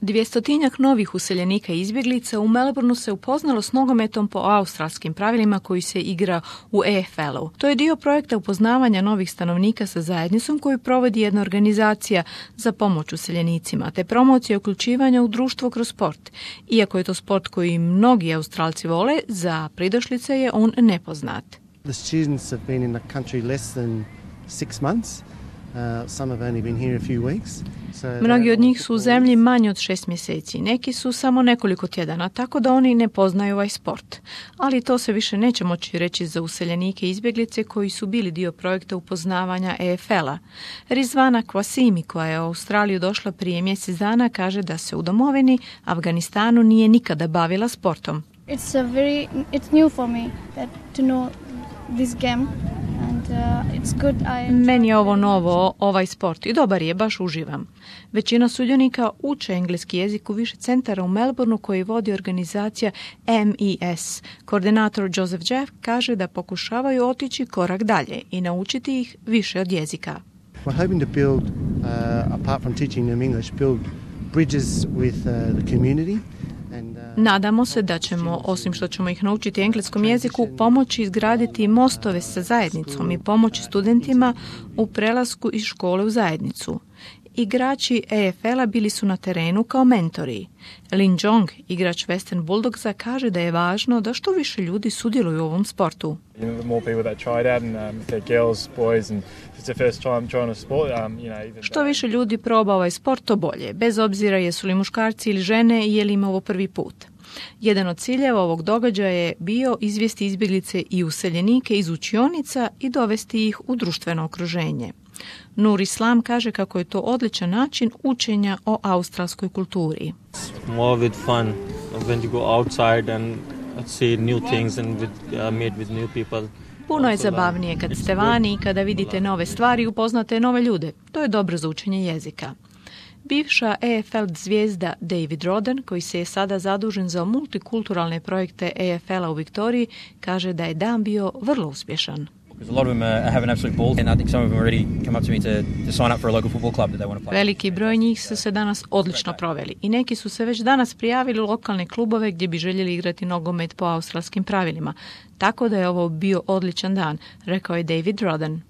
200-tinjak novih useljenika i izbjeglica u Melbourneu se upoznalo s nogometom po australskim pravilima koji se igra u EFL-u. To je dio projekta upoznavanja novih stanovnika sa zajednicom koju provodi jedna organizacija za pomoć useljenicima, te promocija uključivanja u društvo kroz sport. Iako je to sport koji mnogi Australci vole, za pridošlice je on nepoznat. The students have been in the country less than 6 months. Some have only been here a few weeks. Mnogi od njih su u zemlji manje od 6 mjeseci, neki su samo nekoliko tjedana, tako da oni ne poznaju ovaj sport. Ali to se više neće moći reći za useljenike i izbjeglice koji su bili dio projekta upoznavanja EFL-a. Rizvana Kwasimi, koja je u Australiju došla prije mjesec dana, kaže da se u domovini Afganistanu nije nikada bavila sportom. It's new for me to know this game. Meni je ovo novo, ovaj sport, i dobar je, baš uživam. Većina sudionika uče engleski jezik u više centara u Melbourneu koji vodi organizacija MES. Koordinator Joseph Jeff kaže da pokušavaju otići korak dalje i naučiti ih više od jezika. We're hoping to build, apart from teaching them English, build bridges with the community. Nadamo se da ćemo, osim što ćemo ih naučiti engleskom jeziku, pomoći izgraditi mostove sa zajednicom i pomoći studentima u prelasku iz škole u zajednicu. Igrači EFL-a bili su na terenu kao mentori. Lin Jong, igrač Western Bulldogsa, kaže da je važno da što više ljudi sudjeluju u ovom sportu. Što više ljudi proba ovaj sport, to bolje, bez obzira jesu li muškarci ili žene i je li im ovo prvi put. Jedan od ciljeva ovog događaja je bio izvesti izbjeglice i useljenike iz učionica i dovesti ih u društveno okruženje. Nur Islam kaže kako je to odličan način učenja o australskoj kulturi. More with fun when you go outside and see new things and meet with new people. Puno je zabavnije kad ste vani i kada vidite nove stvari i upoznate nove ljude. To je dobro za učenje jezika. Bivša EFL zvijezda David Roden, koji se je sada zadužen za multikulturalne projekte EFL-a u Viktoriji, kaže da je dan bio vrlo uspješan. Veliki broj njih su se danas odlično proveli i neki su se već danas prijavili u lokalne klubove gdje bi željeli igrati nogomet po australskim pravilima. Tako da je ovo bio odličan dan, rekao je David Roden.